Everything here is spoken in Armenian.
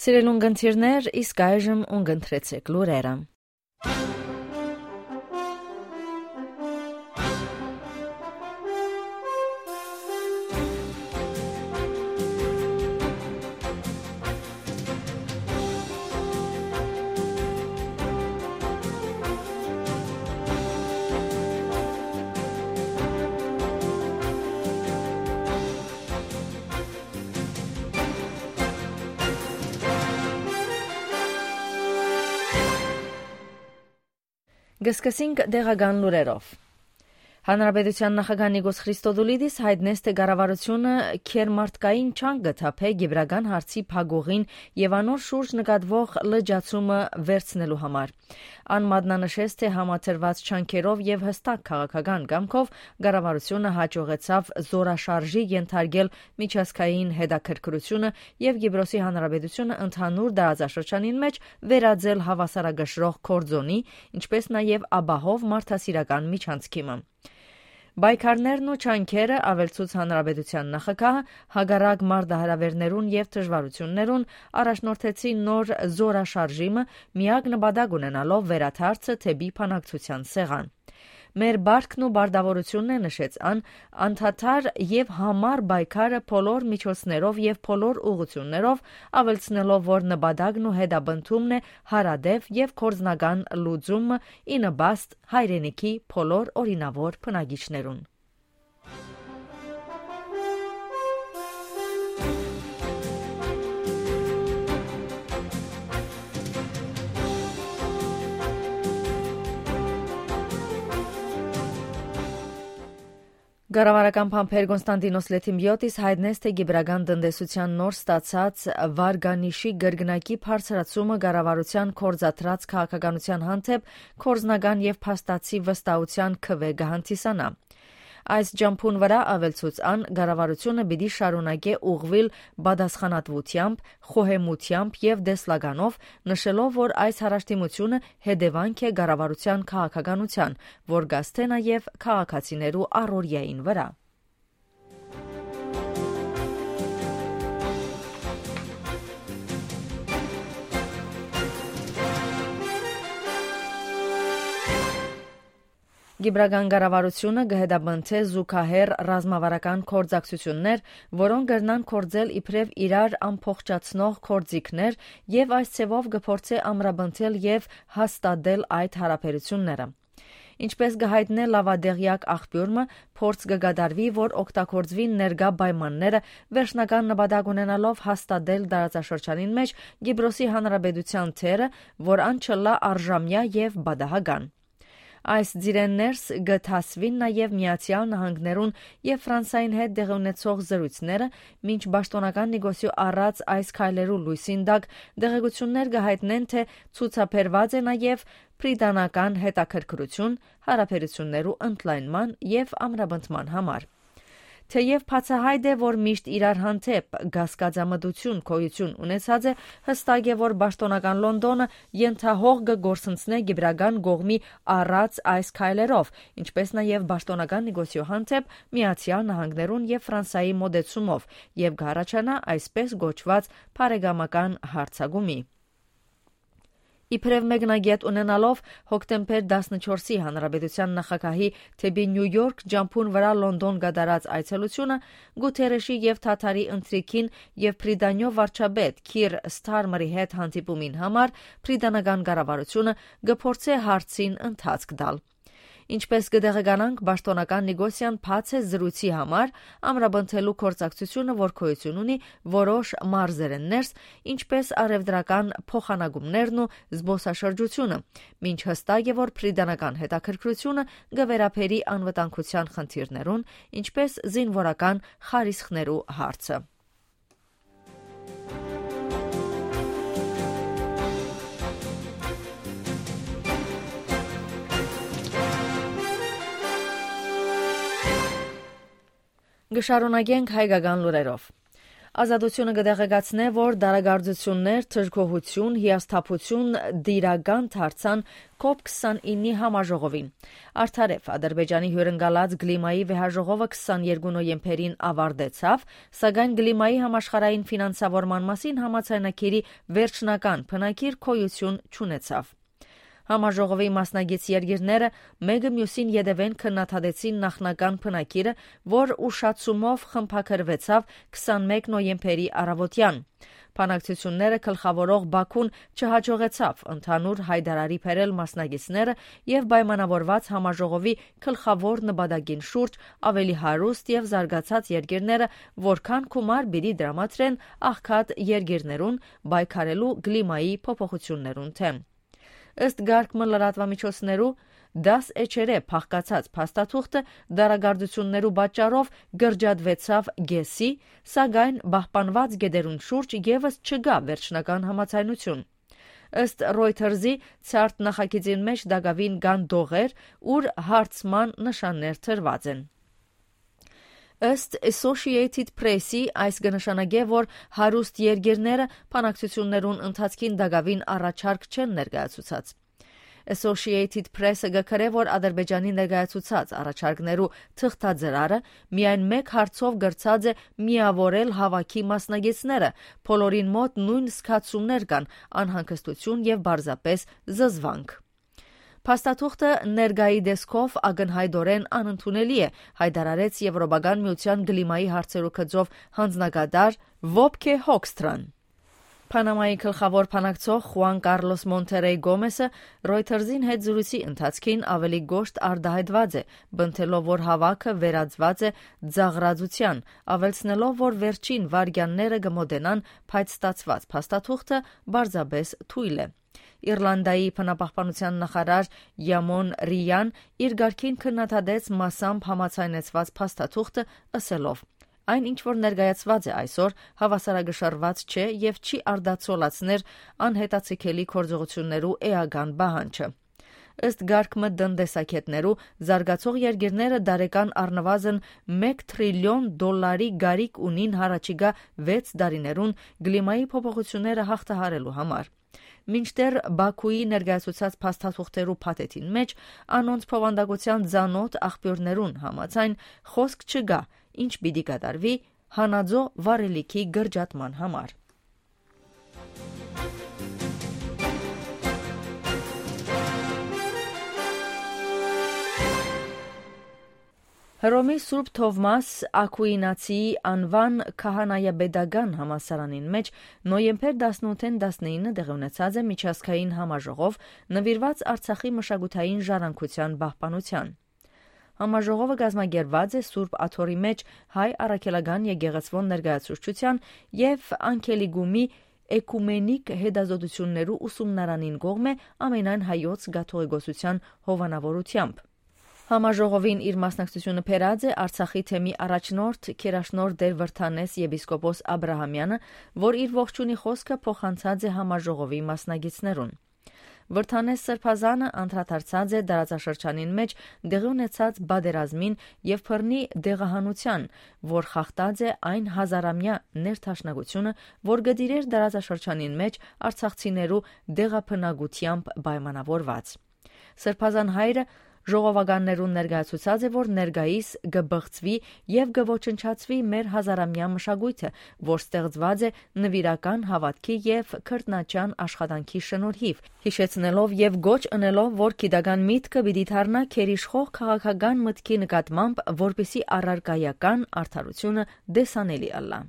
Սիրել ունգընթիրներ, իսկ այժմ ունգընթրեցեք լուրերը։ Գսկսինք դեղական լուրերով։ Հանրապետության նախագահ Նիկոս Խրիստոդուլիդիս հայտնեց, թե կառավարությունը քերմարտկային չանկ գտափե գիբրական հարցի փակուղին եւ անոր շուրջ նկատվող լրջացումը վերցնելու համար։ Ան մատնանշեց, թե համաձայնված չանքերով եւ հստակ քաղաքական կամքով կառավարությունը հաջողեցավ զորաշարժի ենթարկել միջազգային հետաքրքրությունը եւ Կիպրոսի հանրապետությունը ընդհանուր տարածաշրջանին մեջ վերածել հավասարակշռող կորձոնի, ինչպես նաեւ ապահով մարդասիրական միջանցքիմը։ Բայկարներն ու չանքերը ավելցուց հանրապետության նախագահը հագարակ մարդահրավերներուն եւ դժվարություններուն առաջնորդեցին նոր զորաշարժիմը միակ նպատակ ունենալով վերաթարցը թեպի բանակցության սեղան։ Մեր բարքն ու բարդավորությունն է, նշեց ան, անդադար եւ համառ բայկարը բոլոր միջոցներով եւ բոլոր ուղղություններով ավելցնելով, որ նպատակն ու հետապնդումն է հարադեպ եւ կորձնական լուծումը ի նպաստ հայրենիքի բոլոր օրինավոր բնակիչներուն։ Կառավարական փամփեր Կոնստանտինոս Լեթիմբիոտիս հայտնեց, թե գիբրական տնտեսության նոր ստացած վարգանիշի գրգնակի բարձրացումը կառավարության կորզատրած քաղաքականության հանդեպ կորզնական եւ փաստացի վստահության քվե կհանդիսանա։ Այս ջամփուն վրա ավելցուց ան կառավարությունը պիտի շարունակե ուղղվել պատասխանատվությամբ, խոհեմությամբ եւ դեսլականով, նշելով, որ այս հարաշտիմությունը հետևանք է կառավարության քաղաքականության, որ գաստե նաեւ քաղաքացիներու առօրյային վրա։ Գիբրական կառավարությունը կհետապնդի զուգահեռ ռազմավարական գործակցություններ, որոնք կրնան կործել իբրև իրար ամփոխջացնող գործիքներ եւ այս ցեվով կփորձի ամրապնդել եւ հաստատել այդ հարաբերությունները։ Ինչպես կհայտնե լավադեղյակ աղբյուրը, փորձ կկատարվի, որ օգտագործվի ներկա պայմանները վերջնական նպատակ ունենալով հաստատել տարածաշրջանին մեջ Կիպրոսի հանրապետության թերը, որ ան չլա արժամյա եւ բադահական։ Այս ձիրեններս գթասվին նաև Միացյալ Նահանգներուն եւ Ֆրանսիային հետ դեղի ունեցող զրույցները, մինչ պաշտոնական նեգոսիո առած այս քայլերու լույսին տակ դեղեցություններ կհայտնեն, թե ցուցաբերված է նաև բրիտանական հետաքրքրություն հարաբերություններու ընդլայնման եւ ամրապնդման համար։ Թեև բացահայտ է, որ միշտ իրար հանդեպ գասկածամտություն գոյություն ունեցած է, հստակ է, որ պաշտոնական Լոնդոնը ենթահող կգործընծնե գիբրական կողմի առած այս քայլերով, ինչպես նաև պաշտոնական նեգոսիո հանդեպ Միացյալ Նահանգներուն եւ Ֆրանսիայի մոդեցումով եւ կհառաջանա այսպես գոչված բարեկամական հարձակումի։ Իբրև մեկնագետ ունենալով հոկտեմբեր 14-ի հանրապետության նախագահի թեպի Նյու Յորք ջամփուն վրա Լոնդոն կատարած այցելությունը Գուտերեշի եւ Թաթարի ընթրիքին եւ Բրիտանիո վարչապետ Քիր Սթարմերի հետ հանդիպումին համար բրիտանական կառավարությունը կփորձի հարցին ընթացք տալ։ Ինչպես կդեղեկանանք, պաշտոնական նեգոսիան բաց է զրույցի համար ամրապնդելու գործակցությունը, որ գոյություն ունի որոշ մարզերեններս, ինչպես արևդրական փոխանակումներն ու զբոսաշրջությունը, մինչ հստակ է, որ բրիտանական հետաքրքրությունը կվերապերի անվտանգության խնդիրներուն, ինչպես զինվորական խարիսխներու հարցը։ Գշարունակենք հայկական լուրերով։ Ազատությունը կդեղեկացնե, որ դարագարձություններ, թրքողություն, հիասթափություն դիրական դարձան COP29-ի համաժողովին։ Արդարև, Ադրբեջանի հյուրընկալած Գլիմայի վեհաժողովը 22 նոյեմբերին ավարտեցավ, սակայն Գլիմայի համաշխարհային ֆինանսավորման մասին համաձայնագիրի վերջնական բնագիր գոյություն չունեցավ։ Համաժողովի մասնագետ երկիրները մեկը մյուսին ետևեն քննադատեցին նախնական բնագիրը, որ ուշացումով խմբագրվեցավ 21 նոյեմբերի առավոտյան։ Բանակցությունները գլխավորող Բաքուն չհաջողեցավ ընդհանուր հայտարարի բերել մասնագետները եւ պայմանավորված համաժողովի գլխավոր նպատակին շուրջ ավելի հարուստ եւ զարգացած երկիրները որքան գումար պիտի դրամատրեն աղքատ երկիրներուն պայքարելու կլիմայի փոփոխություններուն դեմ։ Ըստ գարկմը լրատվամիջոցներու 10 էջերե փախկացած փաստաթուղթը դարագարձություններու պատճառով գրջադվեցավ գեսի, սակայն պահպանված գեդերուն շուրջ եւս չկա վերջնական համաձայնություն։ Ըստ Reuters-ի ցարտ նախագծին մեջ դակավին կան դողեր, ուր հարցման նշաններ տրված են։ Ըստ Associated Press-ի այս կնշանակե, որ հարուստ երկիրները բանակցություններուն ընթացքին դակավին առաջարկ չեն ներկայացուցած։ Associated Press-ը գկրե, որ Ադրբեջանի ներկայացուցած առաջարկներու թղթաձրարը միայն մեկ հարցով գրծած է միավորել հավաքի մասնագետները, բոլորին մոտ նույն զգացումներ կան՝ անհանգստություն եւ բարձրապես զզվանք։ Փաստաթուղթը ներկայի դեսքով ակնհայտորեն անընդունելի է, հայտարարեց Եվրոպական միության գլիմայի հարցերու գծով հանձնագետար Վոբկե Հոքստրան։ Պանամայի գլխավոր բանակցող Խուան Կարլոս Մոնտերեյ Գոմեսը Reuters-ին հետ զրույցի ընթացքին ավելի գոշտ արտահայտված է, բնթելով, որ հավաքը վերածված է ձաղրածության, ավելցնելով, որ վերջին վարքյանները կմոտենան, բայց ստացված փաստաթուղթը բարձրապես թույլ է։ Իռլանդայի բնապահպանության նախարար Յամոն Ռիյան իր գարքին քննադատեց մասամբ համաձայնեցված փաստաթուղթը ըսելով. Այն ինչ որ ներկայացված է այսօր հավասարակշռված չէ եւ չի արդացոլացներ անհետացիկելի գործողություններու էական պահանջը։ Ըստ գարկմը տնտեսագետներու զարգացող երկիրները դարեկան առնվազն $1 տրիլիոն գարիք ունին հառաջիկա 6 տարիներուն գլիմայի փոփոխությունները հաղթահարելու համար։ Մինչդեռ Բաքուի ներկայացուցած փաստաթուղթերու փաթեթին մեջ անոնց փոխանդակության ցանոթ աղբյուրներուն համաձայն խոսք չկա, ինչ պիտի կատարվի հանածո վարելիքի գրջատման համար։ Հռոմի Սուրբ Թովմաս Ակուինացիի անվան քահանայապետական համալսարանին մեջ նոյեմբեր 18-ին 19 տեղի ունեցած է միջազգային համաժողով նվիրված Արցախի մշակութային ժառանգության պահպանության։ Համաժողովը կազմակերպված է Սուրբ Աթոռի մեջ հայ առաքելական եկեղեցվոն ներկայացուցչության եւ Անգելիգումի էկումենիկ հետազոտություններու ուսումնարանին կողմէ ամենայն հայոց կաթողիկոսության հովանավորությամբ։ Համաժողովին իր մասնակցությունը բերած է Արցախի թեմի առաջնորդ Քերաշնոր Դեր Վրթանես եպիսկոպոս Աբրահամյանը, որ իր ողջունի խոսքը փոխանցած է համաժողովի մասնակիցներուն։ Վրթանես Սրբազանը անդրադարձած է դարաձաշրջանին մեջ դեղի ունեցած բادرազմին եւ բռնի դեղահանության, որ խախտած է այն հազարամյա ներդաշնակությունը, որ գդիրեր դարաձաշրջանին մեջ արցախցիներու դեղափնագությամբ պայմանավորված։ Սրբազան հայրը ժողովականներուն ներկայացուցած է, որ ներկայիս կբղծվի եւ կոչնչացվի մեր հազարամյա մշակույթը, որ ստեղծված է նվիրական հավատքի եւ քրտնաճան աշխատանքի շնորհիվ, հիշեցնելով եւ գոչ ընելով, որ գիտական միտքը պիտի դառնա քերիշխող քաղաքական մտքի նկատմամբ, որպիսի առարկայական արդարությունը դեսանելի ըլլա։